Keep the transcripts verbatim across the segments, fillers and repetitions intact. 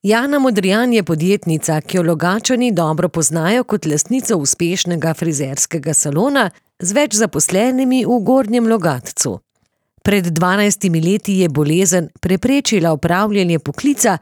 Jana Modrijan je podjetnica, ki jo Logatčani dobro poznajo kot lastnico uspešnega frizerskega salona z več zaposlenimi v Gornjem Logatcu. Pred dvanajstimi leti je bolezen preprečila opravljanje poklica,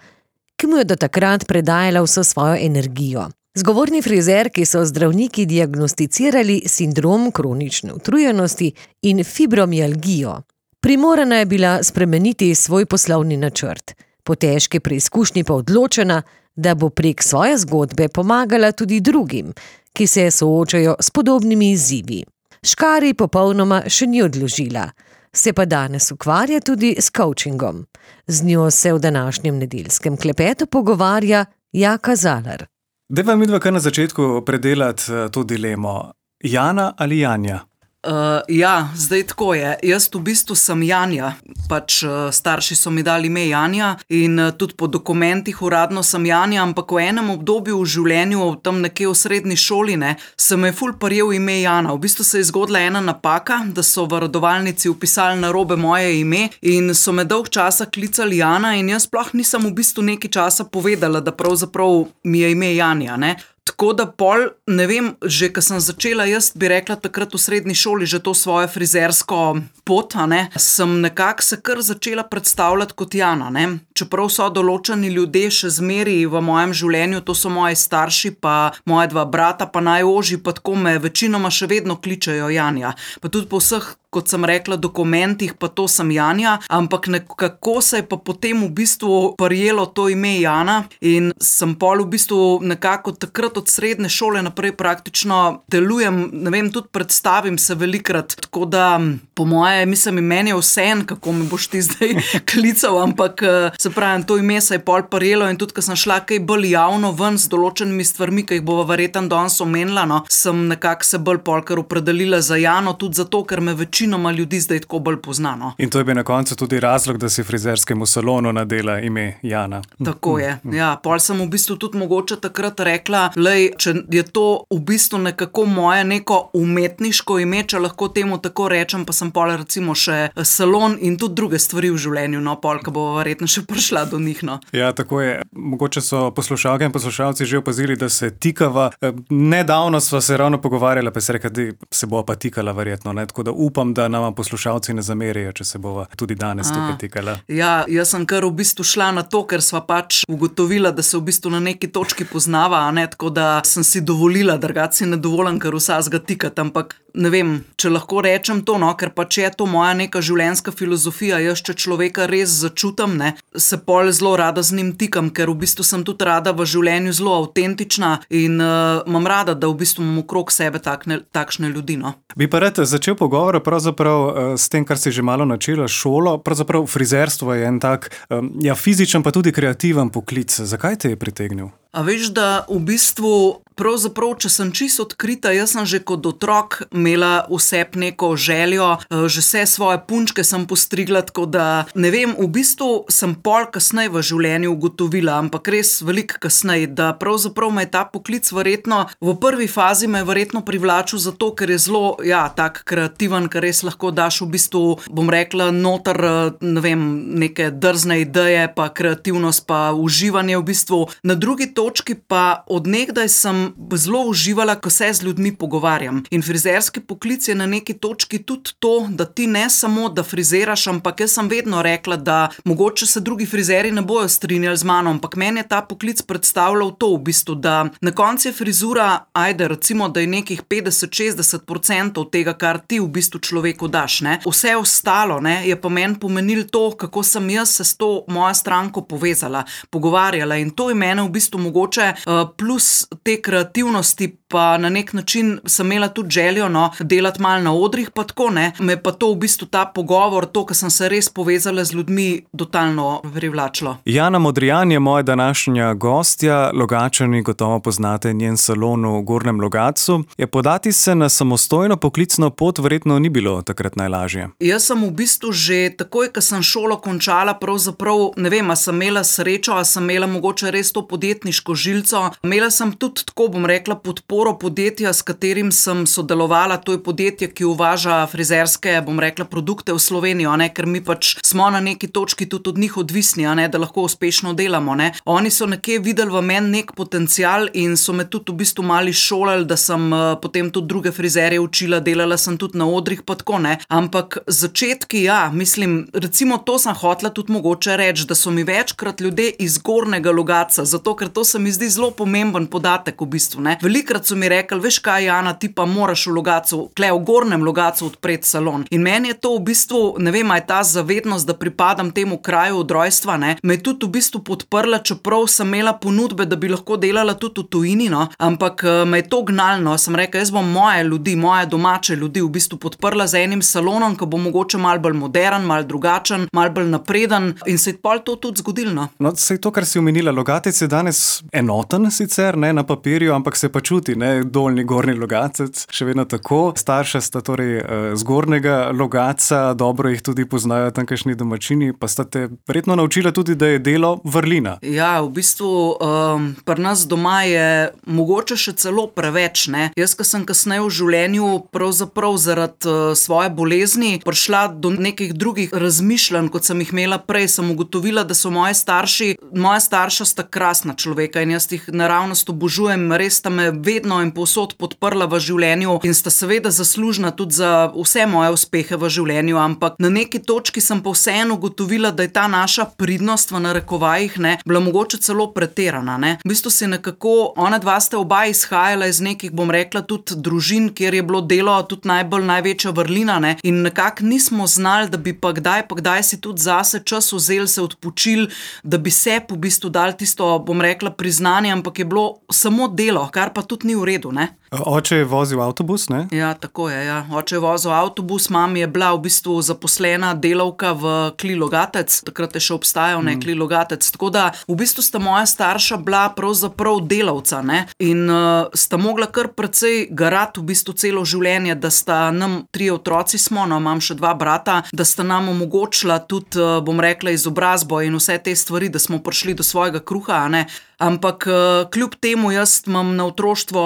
ki mu je do takrat predajala vso svojo energijo. Zgovorni frizerki so zdravniki diagnosticirali sindrom kronične utrujenosti in fibromialgijo. Primorana je bila spremeniti svoj poslovni načrt. Po težki preizkušnji pa odločena, da bo prek svoje zgodbe pomagala tudi drugim, ki se soočajo s podobnimi izzivi. Škarij popolnoma še ni odložila, se pa danes ukvarja tudi s coachingom. Z njo se v današnjem nedeljskem klepetu pogovarja Jaka Zalar. Dajva midva kar na začetku predelati to dilemo. Jana ali Janja? Uh, ja, zdaj tako je. Jaz v bistvu sem Janja, pač uh, starši so mi dali ime Janja in uh, tudi po dokumentih uradno sem Janja, ampak v enem obdobju v življenju, tam nekje v srednji šoli, ne, se me je ful prijel ime Jana. V bistvu se je zgodila ena napaka, da so v rodovalnici vpisali narobe moje ime in so me dolg časa klicali Jana in jaz sploh nisem v bistvu nekaj časa povedala, da pravzaprav mi je ime Janja, ne. Tako da pol, ne vem, že ko sem začela, jaz bi rekla takrat v srednji šoli že to svojo frizersko pot, a ne, sem nekako se kar začela predstavljati kot Jana, ne. Čeprav so določeni ljudje še zmeri v mojem življenju, to so moji starši, pa moja dva brata, pa najožji, pa tako me večinoma še vedno kličejo Janja. Pa tudi po vseh, kot sem rekla, dokumentih, pa to sem Janja, ampak nekako se je pa potem v bistvu prijelo to ime Jana in sem pol v bistvu nekako takrat od srednje šole naprej praktično delujem, ne vem, tudi predstavim se velikrat, tako da po moje, mislim, meni je vseeno, kako me boš ti zdaj klical, ampak se pravim, to ime se je pol prijelo in tudi, ko sem šla kaj bolj javno ven z določenimi stvarmi, ki jih bova verjetno danes omenila, no, sem nekako se bolj polkar opredelila za Jano, tudi zato, ker me večinoma ljudi zdaj tako bolj poznano. In to je bil na koncu tudi razlog, da si frizerskemu salonu nadela ime Jana. Tako je, ja. Pol sem v bistvu tudi mogoče takrat rekla, lej, če je to v bistvu nekako moje neko umetniško ime, če lahko temu tako rečem, pa sem pol recimo še salon in tudi druge stvari v življenju, no, pol, ko bo verjetno še prišla do njih, no. Ja, tako je. Mogoče so poslušalke in poslušalci že opazili, da se tikava. Nedavno sva se ravno pogovarjala, pa se reka, da se bova pa tikala verjetno, ne, tako da upam, da nama poslušalci ne zamerijo, če se bova tudi danes tukaj tikala. Ja, jaz sem kar v bistvu šla na to, ker sva pač ugotovila, da se v bistvu na neki točki poznava, a ne, tako da sem si dovolila, drugače si ne dovolim kar vsazga tikati, ampak ne vem, če lahko rečem to, no, ker pač je to moja neka življenjska filozofija, jaz če človeka res začutam, ne, se pol zelo rada z njim tikam, ker v bistvu sem tudi rada v življenju zelo avtentična in uh, imam rada, da v bistvu imam okrog sebe takne, takšne ljudi, no. Bi pa rad začel pogovor pravzaprav uh, s tem, kar si že malo načela šolo, pravzaprav frizerstvo je en tak, um, ja, fizičen pa tudi kreativen poklic. Zakaj te je pritegnil? A veš, da v bistvu pravzaprav, če sem čisto odkrita, jaz sem že kot otrok imela vsep neko željo, že vse svoje punčke sem postrigla, tako da ne vem, v bistvu sem pol kasneje v življenju ugotovila, ampak res veliko kasneje, da pravzaprav me je ta poklic verjetno, v prvi fazi me je verjetno privlačil zato, ker je zelo, ja, tak kreativen, ker res lahko daš v bistvu, bom rekla, noter, ne vem, neke drzne ideje, pa kreativnost, pa uživanje v bistvu. Na drugi točki pa od nekdaj sem zelo uživala, ko se z ljudmi pogovarjam. In frizerski poklic je na neki točki tudi to, da ti ne samo, da frizeraš, ampak jaz sem vedno rekla, da mogoče se drugi frizeri ne bojo strinjali z mano, ampak meni je ta poklic predstavljal to v bistvu, da na koncu je frizura, ajde, recimo, da je nekih petdeset do šestdeset procentov tega, kar ti v bistvu človeku daš, ne. Vse ostalo, ne, je pa meni pomenilo to, kako sem jaz se s to mojo stranko povezala, pogovarjala in to je mene v bistvu mogoče uh, plus te kreativnosti, pa na nek način sem imela tudi željo, no, delati malo na odrih, pa tako, ne. Me pa to v bistvu ta pogovor, to, ko sem se res povezala z ljudmi, totalno privlačilo. Jana Modrijan je moja današnja gostja, Logatčani gotovo poznate njen salon v Gornjem Logatcu. Je podati se na samostojno poklicno pot verjetno ni bilo takrat najlažje? Jaz sem v bistvu že takoj, ko sem šolo končala, pravzaprav, ne vem, a sem imela srečo, a sem imela mogoče res to podjetniško podjetniško žilco. Imela sem tudi, tako bom rekla, podporo podjetja, s katerim sem sodelovala. To je podjetje, ki uvaža frizerske, bom rekla, produkte v Slovenijo, ne? Ker mi pač smo na neki točki tudi od njih odvisni, a ne? Da lahko uspešno delamo. Ne? Oni so nekje videli v meni nek potencial in so me tudi v bistvu mali šolali, da sem uh, potem tudi druge frizerje učila, delala sem tudi na odrih, pa tako ne. Ampak začetki, ja, mislim, recimo to sem hotela tudi mogoče reči, da so mi večkrat ljudje iz Gornjega Logatca, zato ker to se mi zdi zelo pomemben podatek v bistvu. Ne. Velikrat so mi rekli, veš kaj, Jana, ti pa moraš v Logatcu, kle v Gornjem Logatcu odpreti salon. In meni je to v bistvu, ne vem, je ta zavednost, da pripadam temu kraju od rojstva, ne, me je tudi v bistvu podprla, čeprav sem imela ponudbe, da bi lahko delala tudi v tujini, no, ampak me je to gnalno, sem rekla, jaz bom moje ljudi, moje domače ljudi v bistvu podprla z enim salonom, ki bo mogoče malo bolj modern, malo drugačen, malo bolj napreden in se je pol to tudi zgodilo. No, no sej to, kar si omenila, Logatec je danes enoten sicer, ne na papirju, ampak se pa čuti, ne, Dolnji, Gornji Logatec, še vedno tako. Starša sta torej z Gornjega Logatca, dobro jih tudi poznajo tamkajšnji domačini, pa sta te verjetno naučila tudi, da je delo vrlina. Ja, v bistvu um, pri nas doma je mogoče še celo preveč, ne. Jaz, ko sem kasneje v življenju pravzaprav zaradi uh, svoje bolezni prišla do nekih drugih razmišljanj, kot sem jih imela prej, sem ugotovila, da so moji starši, moja starša sta krasna človeka in jaz jih naravnost obožujem, res sta me vedno in povsod podprla v življenju in sta seveda zaslužna tudi za vse moje uspehe v življenju, ampak na neki točki sem pa vseeno ugotovila, da je ta naša pridnost v narekovajih, ne, bila mogoče celo pretirana, ne. V bistvu se nekako, ona dva sta oba izhajala iz nekih, bom rekla, tudi družin, kjer je bilo delo tudi najbolj največja vrlina, ne, in nekako nismo znali, da bi pa kdaj, pa kdaj si tudi zase čas vzeli, se odpočili, da bi se po bistvu dali tisto, bom rekla, priznanje, ampak je bilo samo delo, kar pa tudi ni v redu, ne. Oče je vozil avtobus, ne? Ja, tako je, ja. Oče je vozil avtobus, mama je bila v bistvu zaposlena delavka v Kli Logatec, takrat je še obstajal, ne, Kli Logatec, tako da v bistvu sta moja starša bila pravzaprav delavca, ne, in uh, sta mogla kar precej garati v bistvu celo življenje, da sta nam, trije otroci smo, no, imam še dva brata, da sta nam omogočila tudi, uh, bom rekla, izobrazbo in vse te stvari, da smo prišli do svojega kruha, ne. Ampak kljub temu jaz imam na otroštvo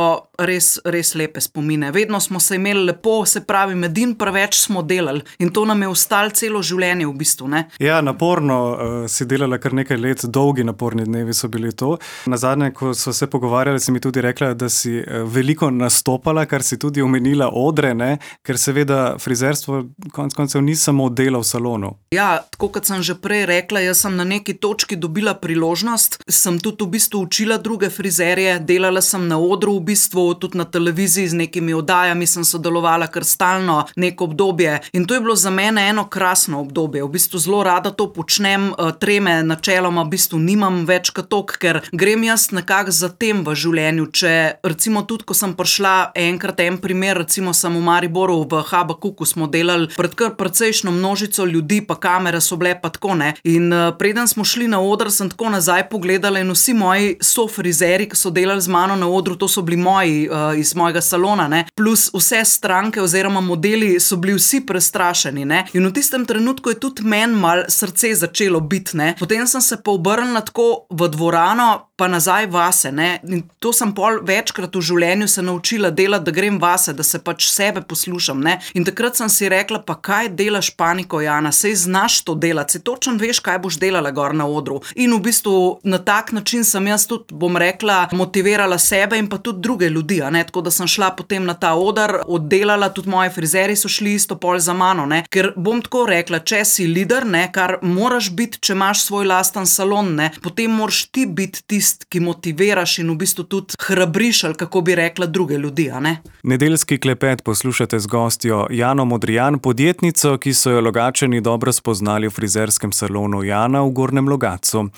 res, res lepe spomine. Vedno smo se imeli lepo, se pravi, medin preveč smo delali in to nam je ostalo celo življenje v bistvu, ne. Ja, naporno uh, si delala kar nekaj let, dolgi naporni dnevi so bili to. Nazadnje, ko so se pogovarjali, si mi tudi rekla, da si uh, veliko nastopala, kar si tudi omenila odre, ne, ker seveda frizerstvo konec koncev ni samo delo v salonu. Ja, tako kot sem že prej rekla, jaz sem na neki točki dobila priložnost, sem tudi v bistvu učila druge frizerje, delala sem na odru v bistvu, tudi na televiziji z nekimi oddajami sem sodelovala kar stalno neko obdobje in to je bilo za mene eno krasno obdobje. V bistvu zelo rada to počnem, treme načeloma v bistvu nimam več kot tok, ker grem jaz nekako za tem v življenju. Če recimo tudi, ko sem prišla enkrat en primer, recimo sem v Mariboru v Habakuku smo delali pred kar precejšno množico ljudi, pa kamere so bile pa tako, ne. In preden smo šli na oder, sem tako nazaj pogledala in vsi moji sofrizeri, ki so delali z mano na odru, to so bili moji uh, iz mojega salona, ne, plus vse stranke oziroma modeli so bili vsi prestrašeni, ne, in v tistem trenutku je tudi meni malo srce začelo biti, ne, potem sem se pa obrnila tako v dvorano, pa nazaj vase, ne, in to sem pol večkrat v življenju se naučila delati, da grem vase, da se pač sebe poslušam, ne, in takrat sem si rekla, pa kaj delaš paniko, Jana, sej znaš to delati, sej točno veš, kaj boš delala gor na odru in v bistvu na tak način sem jaz tudi, bom rekla, motivirala sebe in pa tudi druge ljudi, a ne, tako da sem šla potem na ta oder, oddelala, tudi moji frizeri so šli isto pol za mano, ne, ker bom tako rekla, če si lider, ne, kar moraš biti, če imaš svoj lasten salon, ne, potem moraš ti biti tist, ki motiviraš in v bistvu tudi hrabriš, ali kako bi rekla, druge ljudi, a ne. Nedeljski klepet poslušate z gostjo Jano Modrijan, podjetnico, ki so jo Logatčani dobro spoznali v frizerskem salonu Jana v Gornjem Logatcu.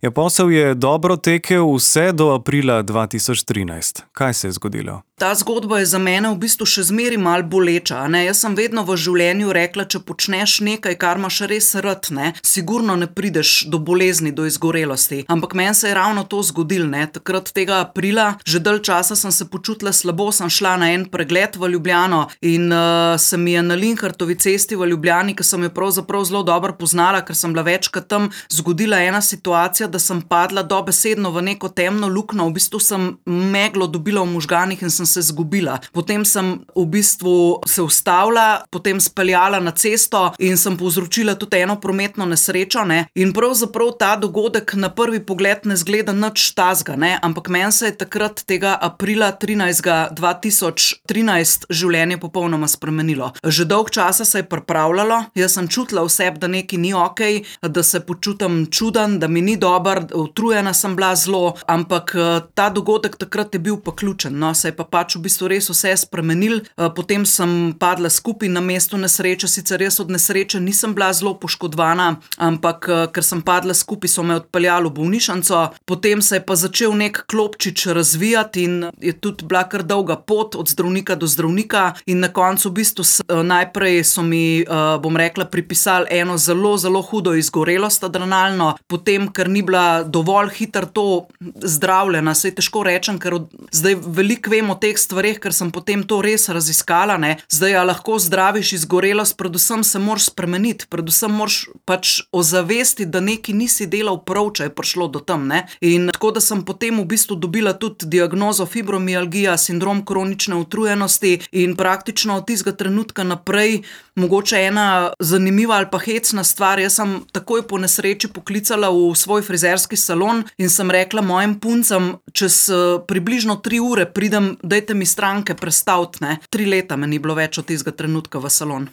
Ja, posel je dobro tekel vse do aprila dva tisoč trinajst. Kaj se je zgodilo? Ta zgodba je za mene v bistvu še zmeri mal boleča. Ne? Jaz sem vedno v življenju rekla, če počneš nekaj, kar imaš res rad, ne? Sigurno ne prideš do bolezni, do izgorelosti. Ampak meni se je ravno to zgodilo. Ne? Takrat tega aprila, že dalj časa sem se počutila slabo, sem šla na en pregled v Ljubljano in uh, se mi je na Linhartovi cesti v Ljubljani, ki sem jo pravzaprav zelo dobro poznala, ker sem bila večkrat tam, zgodila ena situacija, da sem padla dobesedno v neko temno luknjo, v bistvu sem meglo dobila v možganih in sem se zgubila. Potem sem v bistvu se ustavila, potem speljala na cesto in sem povzročila tudi eno prometno nesrečo, ne? In pravzaprav ta dogodek na prvi pogled ne zgleda nič tazga, ne? Ampak meni se je takrat tega aprila trinajstega dva tisoč trinajst življenje popolnoma spremenilo. Že dolg časa se je pripravljalo, jaz sem čutila v sebi, da nekaj ni okej, da se počutim čuden, da mi ni dober, utrujena sem bila zelo, ampak ta dogodek takrat je bil pa ključen, no? Se je pa pač v bistvu res vse spremenil, potem sem padla skupaj na mestu nesreče, sicer res od nesreče nisem bila zelo poškodovana, ampak ker sem padla skupaj, so me odpeljali v bolnišnico, potem se je pa začel nek klopčič razvijati in je tudi bila kar dolga pot od zdravnika do zdravnika in na koncu v bistvu najprej so mi, bom rekla, pripisali eno zelo, zelo hudo izgorelost adrenalno, potem, ker ni bila dovolj hitro to zdravljena, saj težko rečem, ker od, zdaj veliko vem o teh stvareh, ker sem potem to res raziskala, ne. Zdaj, a lahko zdraviš izgorelost, predvsem se moraš spremeniti, predvsem moraš pač ozavestiti, da nekaj nisi delal prav, če je prišlo do tam, ne. In tako, da sem potem v bistvu dobila tudi diagnozo fibromialgija, sindrom kronične utrujenosti in praktično od tistega trenutka naprej, mogoče ena zanimiva ali pa hecna stvar, jaz sem takoj po nesreči poklicala v svoj frizerski salon in sem rekla mojim puncam, čez približno tri ure pridem, dajte mi stranke prestaviti, ne. Tri leta me ni bilo več od tistega trenutka v salon.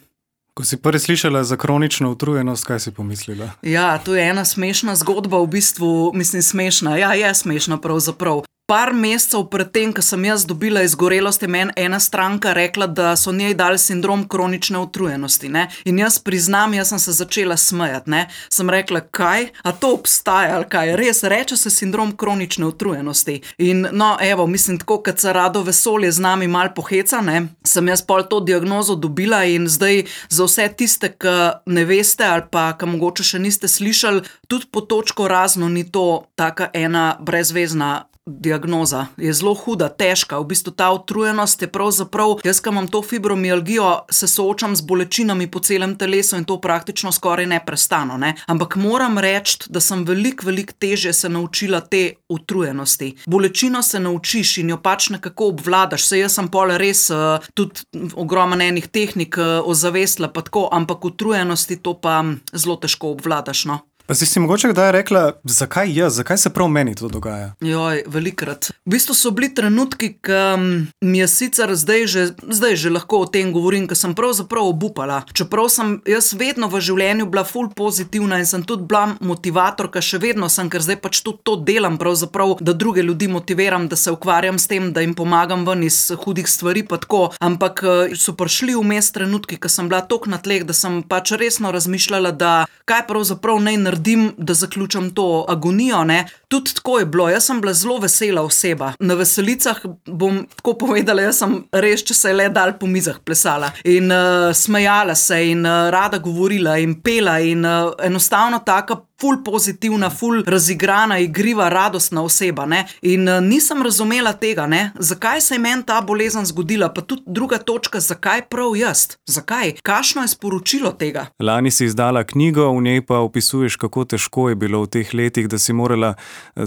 Ko si prvi slišala za kronično utrujenost, kaj si pomislila? Ja, to je ena smešna zgodba, v bistvu, mislim smešna, ja, je smešna pravzaprav. Par mesecev pred tem, ko sem jaz dobila izgorelost, je meni ena stranka rekla, da so njej dali sindrom kronične utrujenosti, ne. In jaz priznam, jaz sem se začela smejati, ne. Sem rekla, kaj? A to obstaja, ali kaj? Res, reče se sindrom kronične utrujenosti. In no, evo, mislim, tako, kad se Rado Vesolje z nami mal poheca, ne, sem jaz pol to diagnozo dobila in zdaj za vse tiste, ki ne veste ali pa, ki mogoče še niste slišali, tudi po točko razno ni to taka ena brezvezna diagnoza. Je zelo huda, težka. V bistvu ta utrujenost je pravzaprav, jaz, ki imam to fibromialgijo, se soočam z bolečinami po celem telesu in to praktično skoraj neprestano, ne. Ampak moram reči, da sem veliko, veliko težje se naučila te utrujenosti. Bolečino se naučiš in jo pač nekako obvladaš. Saj jaz sem pol res uh, tudi ogromno enih tehnik uh, ozavestila pa tako, ampak utrujenosti to pa zelo težko obvladaš, no. Pa si si mogoče kdaj rekla, zakaj jaz, zakaj se prav meni to dogaja? Joj, velikrat. V bistvu so bili trenutki, ki mi je sicer zdaj že, zdaj že lahko o tem govorim, ker sem pravzaprav obupala. Čeprav sem jaz vedno v življenju bila ful pozitivna in sem tudi bila motivatorka, še vedno sem, ker zdaj pač tudi to delam pravzaprav, da druge ljudi motiviram, da se ukvarjam s tem, da jim pomagam ven iz hudih stvari pa tako. Ampak so prišli vmes trenutki, ko sem bila toliko na tleh, da sem pač resno razmišljala, da kaj pravzaprav naj naredim, da zaključam to agonijo, ne. Tudi tako je bilo, jaz sem bila zelo vesela oseba. Na veselicah bom tako povedala, jaz sem res, če se je le dal po mizah plesala in uh, smejala se in uh, rada govorila in pela in uh, enostavno taka ful pozitivna, ful razigrana, igriva, radostna oseba, ne. In uh, nisem razumela tega, ne. Zakaj se je meni ta bolezen zgodila, pa tudi druga točka, zakaj prav jaz? Zakaj? Kakšno je sporočilo tega? Lani si izdala knjigo, v njej pa opisuješ, kako težko je bilo v teh letih, da si morala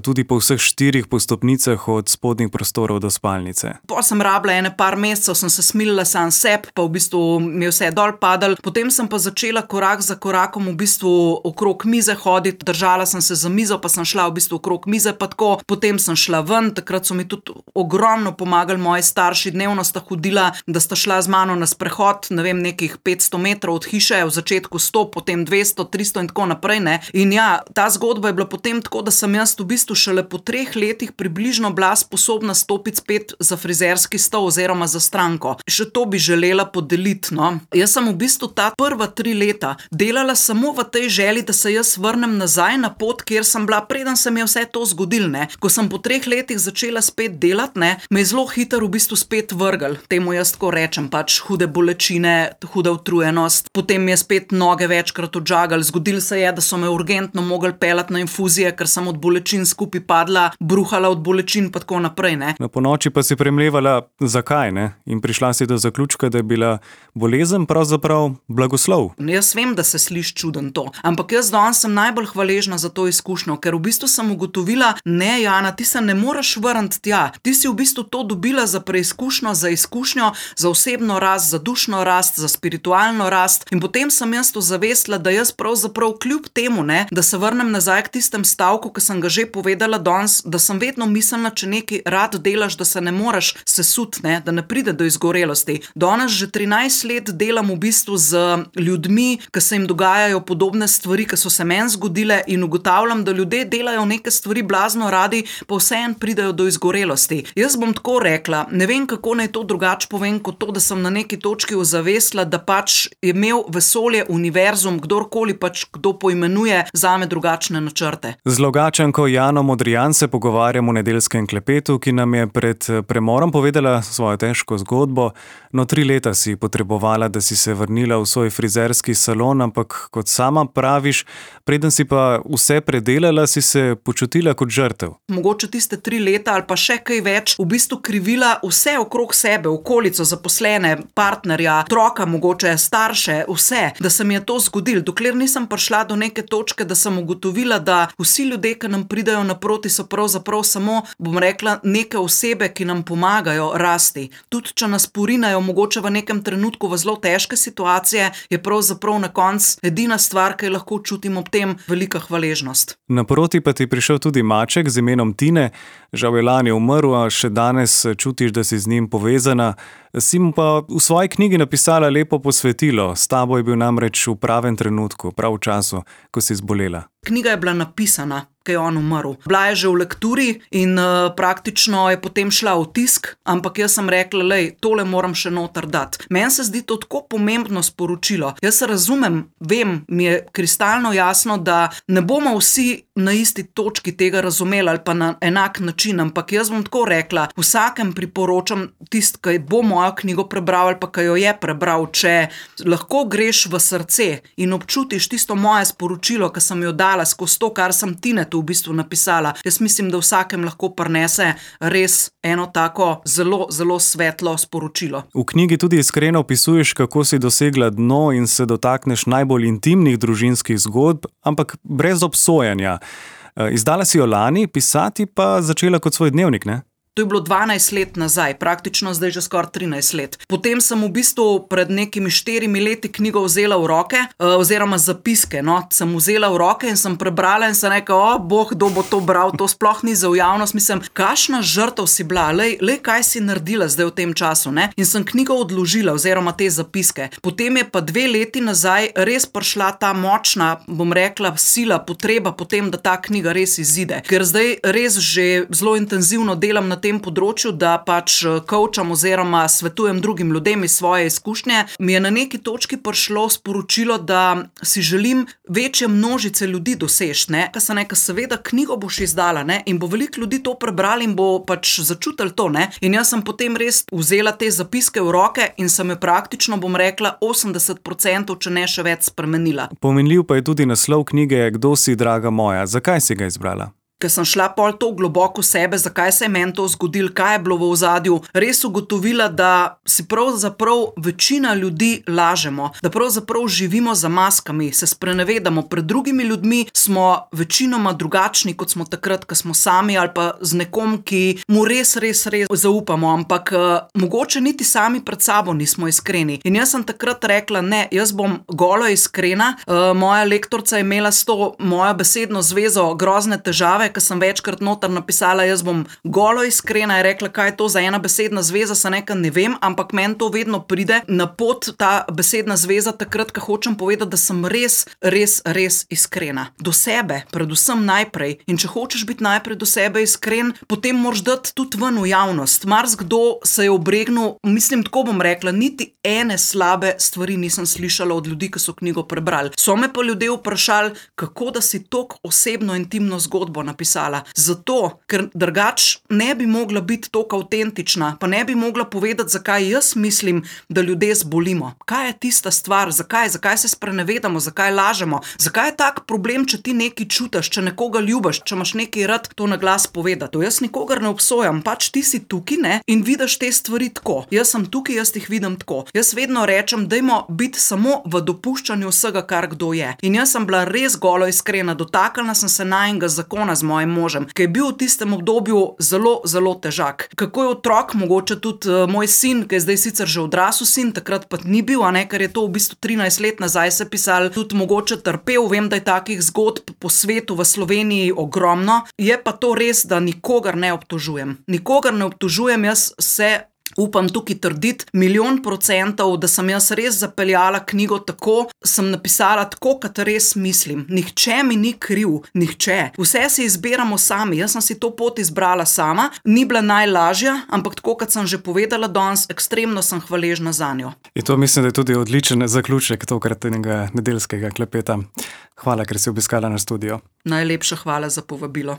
tudi po vseh štirih postopnicah od spodnjih prostorov do spalnice. Po sem rabila ene par mesecev, sem se smilila sam seb, pa v bistvu mi je vse dol padalo. Potem sem pa začela korak za korakom v bistvu okrog mize hoditi, držala sem se za mizo, pa sem šla v bistvu okrog mize pa tako. Potem sem šla ven, takrat so mi tudi ogromno pomagali moji starši, dnevno sta hodila, da sta šla z mano na sprehod, ne vem, nekih petsto metrov od hiše, v začetku sto, potem dvesto, tristo in tako naprej, ne. In ja, ta zgodba je bila potem tako, da sem jaz v bistvu šele po treh letih približno bila sposobna stopiti spet za frizerski stol oziroma za stranko. Še to bi želela podeliti, no. Jaz sem v bistvu ta prva tri leta delala samo v tej želji, da se jaz vrnem vrnem nazaj na pot, kjer sem bila, preden se mi je vse to zgodilo, ne. Ko sem po treh letih začela spet delati, ne, me je zelo hitro v bistvu spet vrgel. Temu jaz tako rečem, pač hude bolečine, huda utrujenost, potem mi je spet noge večkrat odžagali. Zgodilo se je, da so me urgentno mogli peljati na infuzije, ker sem od bolečin skupaj padla, bruhala od bolečin pa tako naprej, ne. No, po noči pa si premlevala, zakaj, ne? In prišla si do zaključka, da je bila bolezen pravzaprav blagoslov. Jaz vem, da se sliši čuden to, ampak jaz danes sem najbolj hvaležna za to izkušnjo, ker v bistvu sem ugotovila, ne, Jana, ti se ne moreš vrniti tja. Ti si v bistvu to dobila za preizkušnjo, za izkušnjo, za osebno rast, za dušno rast, za spiritualno rast. In potem sem jaz to zavestila, da jaz pravzaprav kljub temu, ne, da se vrnem nazaj k tistem stavku, ki sem ga že povedala danes, da sem vedno mislila, če nekaj rad delaš, da se ne moreš sesuti, ne, da ne pride do izgorelosti. Danes že trinajst let delam v bistvu z ljudmi, ki se jim dogajajo podobne stvari, ki so se meni zgodile, in ugotavljam, da ljudje delajo neke stvari blazno radi, pa vseeno pridejo do izgorelosti. Jaz bom tako rekla, ne vem, kako naj to drugače povem, kot to, da sem na neki točki ozavestila, da pač je imel vesolje, univerzum, kdorkoli pač kdo poimenuje, zame drugačne načrte. Z Logatčanko Jano Modrijan se pogovarjamo v nedeljskem klepetu, ki nam je pred premorom povedala svojo težko zgodbo. No, tri leta si potrebovala, da si se vrnila v svoj frizerski salon, ampak kot sama praviš, preden si pa vse predelala, si se počutila kot žrtev. Mogoče tiste tri leta ali pa še kaj več, v bistvu krivila vse okrog sebe, okolico, zaposlene, partnerja, otroka, mogoče starše, vse, da se mi je to zgodilo. Dokler nisem prišla do neke točke, da sem ugotovila, da vsi ljudje, ki nam pridajo naproti, so pravzaprav samo, bom rekla, neke osebe, ki nam pomagajo rasti. Tudi če nas porinajo mogoče v nekem trenutku v zelo težke situacije, je pravzaprav na koncu edina stvar, ki jo lahko čutim ob tem, velika hvaležnost. Naproti pa ti je prišel tudi maček z imenom Tine. Žal je lani umrl, a še danes čutiš, da si z njim povezana. Si mu pa v svoji knjigi napisala lepo posvetilo. S tabo je bil namreč v pravem trenutku, prav v času, ko si zbolela. Knjiga je bila napisana, ko je on umrl. Bila je že v lekturi in uh, praktično je potem šla v tisk, ampak jaz sem rekla, lej, tole moram še noter dati. Meni se zdi to tako pomembno sporočilo. Jaz se razumem, vem, mi je kristalno jasno, da ne bomo vsi na isti točki tega razumeli ali pa na enak način, ampak jaz bom tako rekla, vsakem priporočam tist, ki bo mojo knjigo prebral ali pa ki jo je prebral, če lahko greš v srce in občutiš tisto moje sporočilo, ki sem jo dala skozi to, kar sem Tinetu v bistvu napisala. Jaz mislim, da vsakem lahko prinese res eno tako zelo, zelo svetlo sporočilo. V knjigi tudi iskreno opisuješ, kako si dosegla dno in se dotakneš najbolj intimnih družinskih zgodb, ampak brez obsojanja. Izdala si jo lani, pisati pa začela kot svoj dnevnik, ne? To je bilo dvanajst let nazaj, praktično zdaj že skoraj trinajst let. Potem sem v bistvu pred nekimi štirimi leti knjigo vzela v roke, oziroma zapiske, no, sem vzela v roke in sem prebrala in sem rekla, o, boh, kdo bo to bral, to sploh ni za v javnost, mislim, kakšna žrtev si bila, lej, lej, kaj si naredila zdaj v tem času, ne? In sem knjigo odložila, oziroma te zapiske. Potem je pa dve leti nazaj res prišla ta močna, bom rekla, sila, potreba potem, da ta knjiga res izide. Ker zdaj res že zelo intenzivno delam na tem področju, da pač coacham oziroma svetujem drugim ljudem iz svoje izkušnje, mi je na neki točki prišlo sporočilo, da si želim večje množice ljudi doseči, ne, ka se neka seveda knjigo boš izdala, ne, in bo veliko ljudi to prebrali in bo pač začutili to, ne, in jaz sem potem res vzela te zapiske v roke in sem jo praktično, bom rekla, osemdeset procentov, če ne še več, spremenila. Pomenljiv pa je tudi naslov knjige Kdo si, draga moja? Zakaj si ga izbrala? Ker sem šla pol to globoko v sebe, zakaj se je meni to zgodilo, kaj je bilo v ozadju, res ugotovila, da si pravzaprav večina ljudi lažemo, da pravzaprav živimo za maskami, se sprenevedamo, pred drugimi ljudmi smo večinoma drugačni, kot smo takrat, ko smo sami ali pa z nekom, ki mu res, res, res zaupamo, ampak uh, mogoče niti sami pred sabo nismo iskreni. In jaz sem takrat rekla, ne, jaz bom golo iskrena, uh, moja lektorica je imela s to mojo besedno zvezo grozne težave, izjave, ki sem večkrat noter napisala, jaz bom golo iskrena, je rekla, kaj je to za ena besedna zveza, se nekaj ne vem, ampak meni to vedno pride na pot, ta besedna zveza, takrat, ko hočem povedati, da sem res, res, res iskrena. Do sebe, predvsem najprej. In če hočeš biti najprej do sebe iskren, potem moraš dati tudi ven v javnost. Marsikdo se je obregnil, mislim, tako bom rekla, niti ene slabe stvari nisem slišala od ljudi, ki so knjigo prebrali. So me pa ljudje vprašali, kako da si tok osebno intimno zgodbo napisala. Zato, ker drugač ne bi mogla biti tok avtentična, pa ne bi mogla povedati, zakaj jaz mislim, da ljudje zbolimo. Kaj je tista stvar, zakaj, zakaj se sprenevedamo, zakaj lažemo, zakaj je tak problem, če ti nekaj čutiš, če nekoga ljubiš, če imaš nekaj rad, to na glas povedati. To jaz nikogar ne obsojam, pač ti si tukaj, ne, in vidiš te stvari tako. Jaz sem tukaj, jaz jih vidim tako. Jaz vedno rečem, dajmo biti samo v dopuščanju vsega, kar kdo je. In jaz sem bila res golo iskrena, dotaknila sem se najinega zakona z mojim možem, ki je bil v tistem obdobju zelo, zelo težak. Kako je otrok, mogoče tudi uh, moj sin, ki je zdaj sicer že odrasel sin, takrat pa ni bil, a ne, ker je to v bistvu trinajst let nazaj se pisal, tudi mogoče trpel, vem, da je takih zgodb po svetu v Sloveniji ogromno, je pa to res, da nikogar ne obtožujem. Nikogar ne obtožujem, jaz se upam tukaj trditi milijon procentov, da sem jaz res zapeljala knjigo tako, sem napisala tako, kot res mislim. Nihče mi ni kriv, nihče. Vse si izbiramo sami, jaz sem si to pot izbrala sama, ni bila najlažja, ampak tako, kot sem že povedala danes, ekstremno sem hvaležna zanjo. In to mislim, da je tudi odličen zaključek tokratnega nedeljskega klepeta. Hvala, ker si obiskala na studio. Najlepša hvala za povabilo.